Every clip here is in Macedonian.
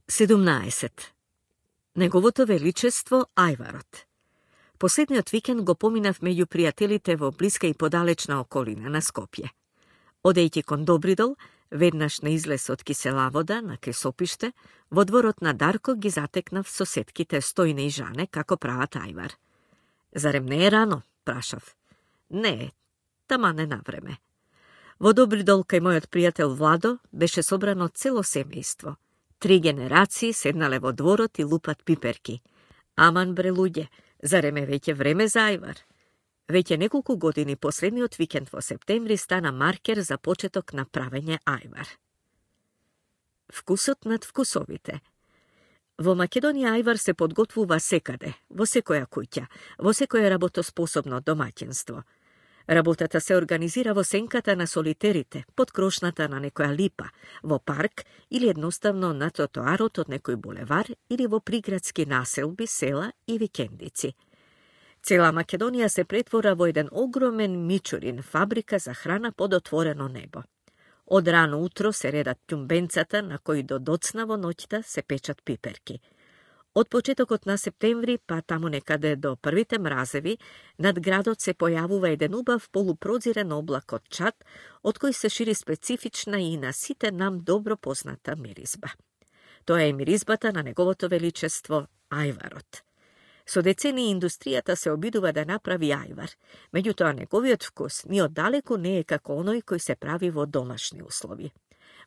17. Неговото величество Ајварот. Последниот викенд го поминав меѓу пријателите во блиска и подалечна околина на Скопје. Одејќи кон Добридол, веднаш на излез од Киселавода на кресопиште, во дворот на Дарко ги затекнав соседките Стојне и Жане како прават ајвар. Зарем не е рано, прашав. Не, тама не на време. Во Добридол кај мојот пријател Владо беше собрано цело семејство. 3 генерации седнале во дворот и лупат пиперки. Аман бре луѓе, зарем е веќе време за ајвар? Веќе неколку години последниот викенд во септември стана маркер за почеток на правење ајвар. Вкусот над вкусовите. Во Македонија ајвар се подготвува секаде, во секоја куќа, во секое работоспособно домаќинство. Работата се организира во сенката на солитерите, под крошната на некоја липа, во парк или едноставно на тротоарот од некој булевар или во приградски населби, села и викендици. Цела Македонија се претвора во еден огромен мичурин, фабрика за храна под отворено небо. Од рано утро се редат ќумбенцата на кои до доцна во ноќта се печат пиперки. Од почетокот на септември, па таму некаде до првите мразеви, над градот се појавува еден убав полупрозирен облак од чад, од кој се шири специфична и на сите нам добро позната миризба. Тоа е миризбата на неговото величество ајварот. Со децени индустријата се обидува да направи ајвар, меѓутоа неговиот вкус ни оддалеку не е како оној кој се прави во домашни услови.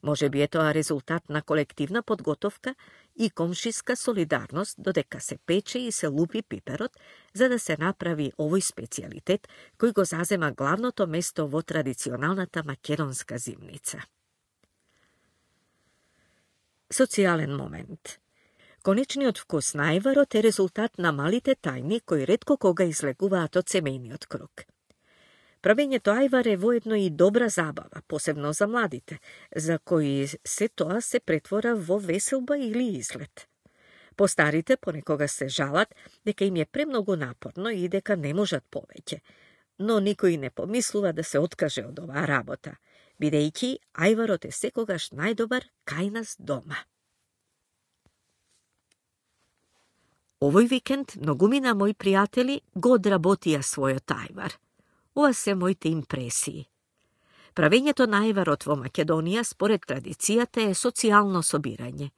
Може би е тоа резултат на колективна подготовка и комшиска солидарност додека се пече и се лупи пиперот, за да се направи овој специјалитет кој го зазема главното место во традиционалната македонска зимница. Социјален момент. Конечниот вкус на ајварот е резултат на малите тајни кои ретко кога излегуваат од семејниот круг. Правењето ајвар е воедно и добра забава, посебно за младите, за кои се тоа се претвора во веселба или излет. Постарите понекогаш се жалат дека им е премногу напорно и дека не можат повеќе, но никој не помислува да се откаже од оваа работа, бидејќи ајварот е секогаш најдобар кај нас дома. Овој викенд многумина мои пријатели го одработија својот ајвар. Ова се моите импресии. Правењето на ајварот во Македонија според традицијата е социјално собирање.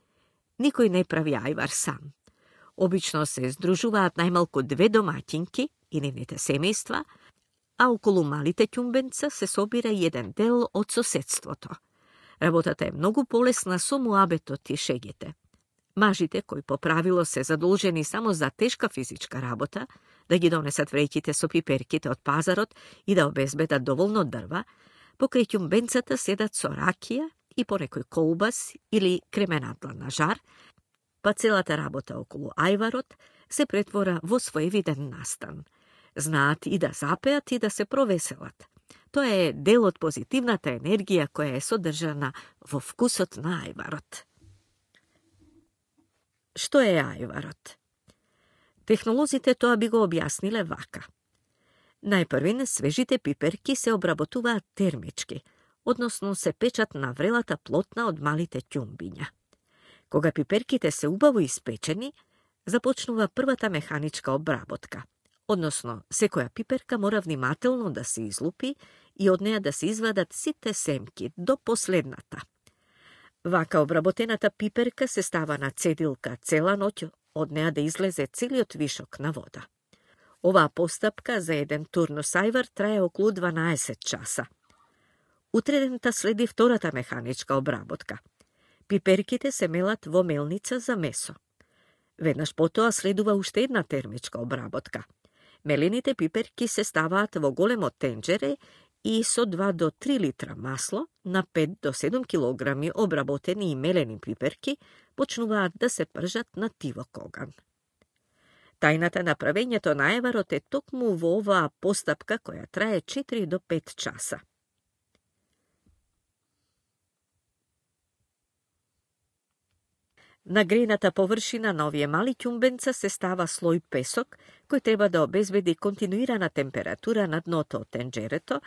Никој не прави ајвар сам. Обично се здружуваат најмалку 2 домаќинки и нивните семејства, а околу малите ќумбенца се собира и еден дел од соседството. Работата е многу полесна со муабетот и шегите. Мажите, кои по правило се задолжени само за тешка физичка работа, да ги донесат вреќите со пиперките од пазарот и да обезбедат доволно дрва, покрај ќумбенцата седат со ракија и понекој колбас или кременадла на жар, па целата работа околу ајварот се претвора во своевиден настан. Знаат и да запеат и да се провеселат. Тоа е дел од позитивната енергија која е содржана во вкусот на ајварот. Што е ајварот? Технолозите тоа би го објасниле вака. Најпрвин, свежите пиперки се обработуваат термички, односно се печат на врелата плотна од малите ќумбиња. Кога пиперките се убаво испечени, започнува првата механичка обработка, односно секоја пиперка мора внимателно да се излупи и од неа да се извадат сите семки до последната. Вака обработената пиперка се става на цедилка цела ноќ, од неа да излезе целиот вишок на вода. Оваа постапка за еден турнус ајвар трае околу 12 часа. Утредента следи втората механичка обработка. Пиперките се мелат во мелница за месо. Веднаш потоа следува уште една термичка обработка. Мелените пиперки се ставаат во големо тенџере и со 2 до 3 литра масло на 5 до 7 килограми обработени и мелени пиперки почнуваат да се пржат на тивок оган. Тајната на правењето на ајварот е токму во оваа постапка која трае 4 до 5 часа. На грејната површина на овие мали ќумбенца се става слој песок, кој треба да обезбеди континуирана температура на дното од тенџерето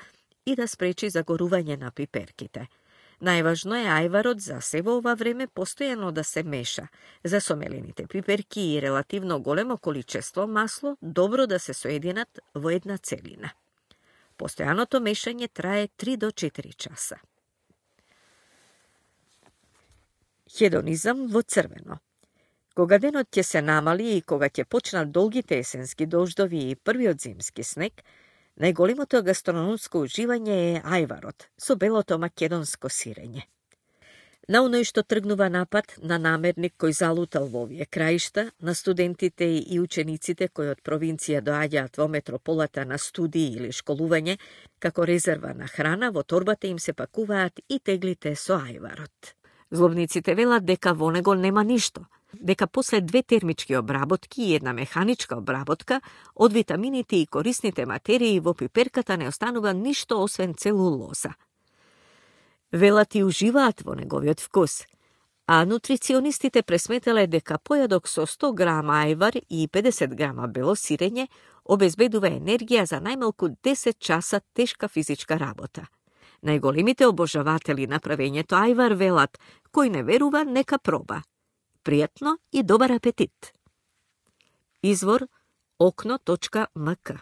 и да спречи загорување на пиперките. Најважно е ајварот за се во ова време постојано да се меша. За сомелените пиперки и релативно големо количество масло добро да се соединат во една целина. Постојаното мешање трае 3 до 4 часа. Хедонизам во црвено. Кога денот ќе се намали и кога ќе почнат долгите есенски дождови и првиот зимски снег, најголемото гастрономско уживање е ајварот со белото македонско сирење. На оној што тргнува напад на намерник кој залутал во овие краишта, на студентите и учениците кои од провинција доаѓаат во метрополата на студии или школување, како резерва на храна, во торбата им се пакуваат и теглите со ајварот. Злобниците велат дека во него нема ништо, дека после 2 термички обработки и една механичка обработка, од витамините и корисните материи во пиперката не останува ништо освен целулоза. Велат и уживаат во неговиот вкус, а нутриционистите пресметале дека појадок со 100 грама ајвар и 50 грама бело сирење обезбедува енергија за најмалку 10 часа тешка физичка работа. Најголемите обожаватели на правењето ајвар велат, кој не верува, нека проба. Пријатно и добар апетит! Извор okno.mk